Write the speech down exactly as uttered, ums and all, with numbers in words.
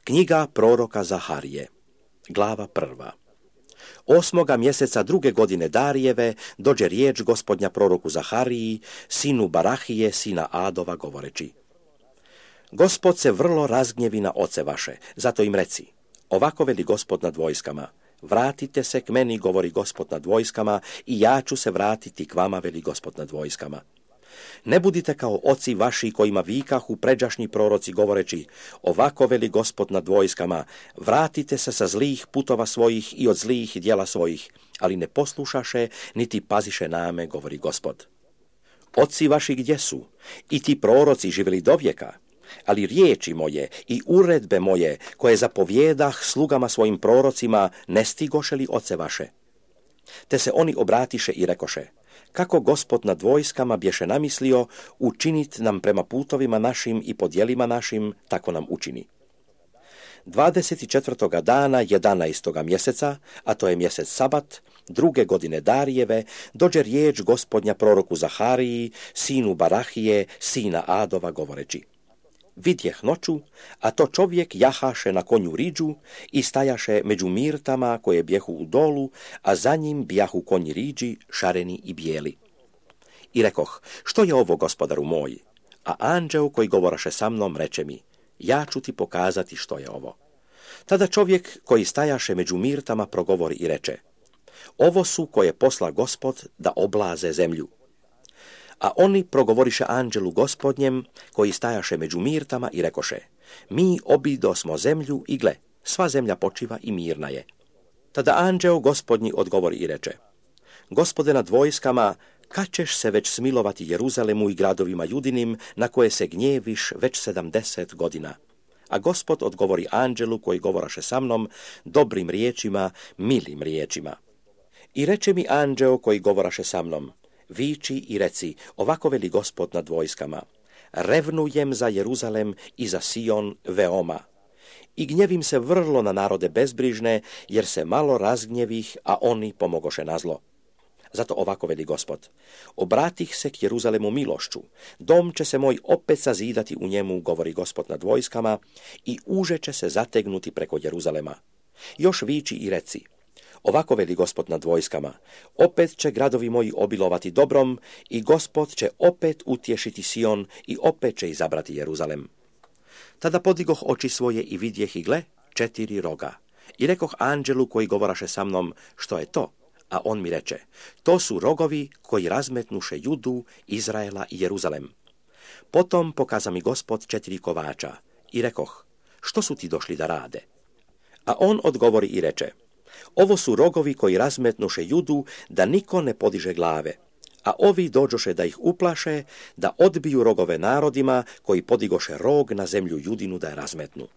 Knjiga proroka Zaharije, glava prva. Osmoga mjeseca druge godine Darijeve dođe riječ gospodnja proroku Zahariji, sinu Barahije, sina Adova, govoreći: Gospod se vrlo razgnjevi na oce vaše, zato im reci: ovako veli Gospod nad vojskama, vratite se k meni, govori Gospod nad vojskama, i ja ću se vratiti k vama, veli Gospod nad vojskama. Ne budite kao oci vaši kojima vikahu pređašnji proroci, govoreći: ovako veli Gospod nad vojskama, vratite se sa zlih putova svojih i od zlih djela svojih, ali ne poslušaše, niti paziše name, govori Gospod. Oci vaši gdje su? I ti proroci živjeli dovijeka, ali riječi moje i uredbe moje, koje zapovjedah slugama svojim prorocima, ne stigoše li oce vaše? Te se oni obratiše i rekoše: kako Gospod nad vojskama bješe namislio učinit nam prema putovima našim i po djelima našim, tako nam učini. dvadeset četvrtoga dana jedanaestoga mjeseca, a to je mjesec Sabat, druge godine Darijeve, dođe riječ gospodnja proroku Zahariji, sinu Barahije, sina Adova, govoreći: vidjeh noću, a to čovjek jahaše na konju riđu i stajaše među mirtama koje bjehu u dolu, a za njim bjahu konji riđi, šareni i bijeli. I rekoh: što je ovo, gospodaru moj? A anđeo koji govoraše sa mnom reče mi: ja ću ti pokazati što je ovo. Tada čovjek koji stajaše među mirtama progovori i reče: ovo su koje posla Gospod da oblaze zemlju. A oni progovoriše anđelu gospodnjem koji stajaše među mirtama i rekoše: mi obidosmo zemlju i gle, sva zemlja počiva i mirna je. Tada anđeo gospodnji odgovori i reče: Gospode nad vojskama, kad ćeš se već smilovati Jeruzalemu i gradovima Judinim, na koje se gnjeviš već sedamdeset godina? A Gospod odgovori anđelu koji govoraše sa mnom dobrim riječima, milim riječima. I reče mi anđeo koji govoraše sa mnom: viči i reci: ovako veli Gospod nad vojskama, revnujem za Jeruzalem i za Sion veoma. I gnjevim se vrlo na narode bezbrižne, jer se malo razgnjevih, a oni pomogoše na zlo. Zato ovako veli Gospod: obratih se k Jeruzalemu milošću, dom će se moj opet sazidati u njemu, govori Gospod nad vojskama, i uže će se zategnuti preko Jeruzalema. Još viči i reci: ovako veli Gospod nad vojskama, opet će gradovi moji obilovati dobrom i Gospod će opet utješiti Sion i opet će izabrati Jeruzalem. Tada podigoh oči svoje i vidjeh i gle, četiri roga. I rekoh anđelu koji govoraše sa mnom: što je to? A on mi reče: to su rogovi koji razmetnuše Judu, Izraela i Jeruzalem. Potom pokaza mi Gospod četiri kovača i rekoh: što su ti došli da rade? A on odgovori i reče: ovo su rogovi koji razmetnuše Judu, da niko ne podiže glave, a ovi dođoše da ih uplaše, da odbiju rogove narodima koji podigoše rog na zemlju Judinu da je razmetnu.